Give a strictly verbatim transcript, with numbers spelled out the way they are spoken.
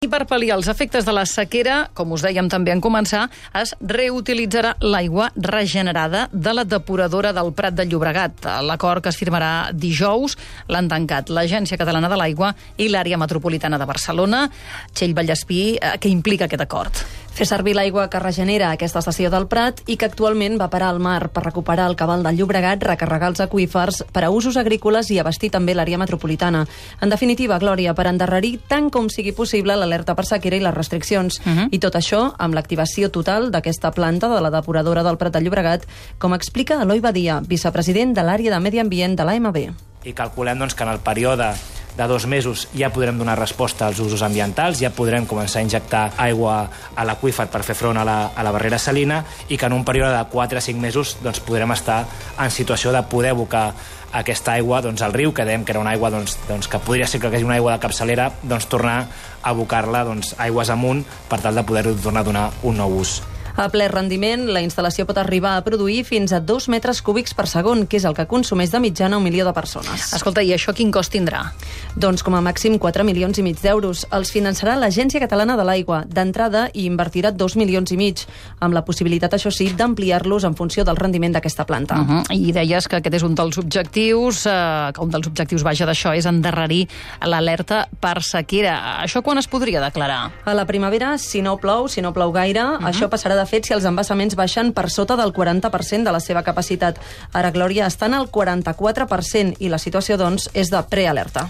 I per pal·liar els efectes de la sequera, com us dèiem també en començar, es reutilitzarà l'aigua regenerada de la depuradora del Prat de Llobregat. L'acord que es firmarà dijous l'han tancat l'Agència Catalana de l'Aigua i l'Àrea Metropolitana de Barcelona. Txell Vallespí, què implica aquest acord? Fer servir l'aigua que regenera aquesta estació del Prat i que actualment va parar al mar per recuperar el cabal del Llobregat, recarregar els aqüífers per a usos agrícoles i abastir també l'àrea metropolitana. En definitiva, Glòria, per endarrerir tant com sigui possible l'alerta per sequera i les restriccions. Uh -huh. I tot això amb l'activació total d'aquesta planta de la depuradora del Prat de Llobregat, com explica Eloi Badia, vicepresident de l'àrea de Medi Ambient de l'A M B. I calculem doncs, que en el període de dos mesos ja podrem donar resposta als usos ambientals, ja podrem començar a injectar aigua a l'aqüífer per fer front a la, a la barrera salina i que en un període de quatre a cinc mesos doncs, podrem estar en situació de poder abocar aquesta aigua doncs, al riu, que dèiem que era una aigua doncs, doncs, que podria ser que hi hagi una aigua de capçalera, doncs tornar a abocar-la doncs, aigües amunt per tal de poder tornar a donar un nou ús. A ple rendiment, la instal·lació pot arribar a produir fins a dos metres cúbics per segon, que és el que consumeix de mitjana un milió de persones. Escolta, i això quin cost tindrà? Doncs com a màxim quatre milions i mig d'euros. Els finançarà l'Agència Catalana de l'Aigua. D'entrada hi invertirà dos milions i mig, amb la possibilitat, això sí, d'ampliar-los en funció del rendiment d'aquesta planta. Uh -huh. I deies que aquest és un dels objectius, eh, que un dels objectius, vaja, d'això és endarrerir l'alerta per sequera. Això quan es podria declarar? A la primavera, si no plou, si no plou gaire, uh -huh. això passarà de fet si els embassaments baixen per sota del quaranta per cent de la seva capacitat. Ara, Glòria, estan al quaranta-quatre per cent i la situació, doncs, és de prealerta.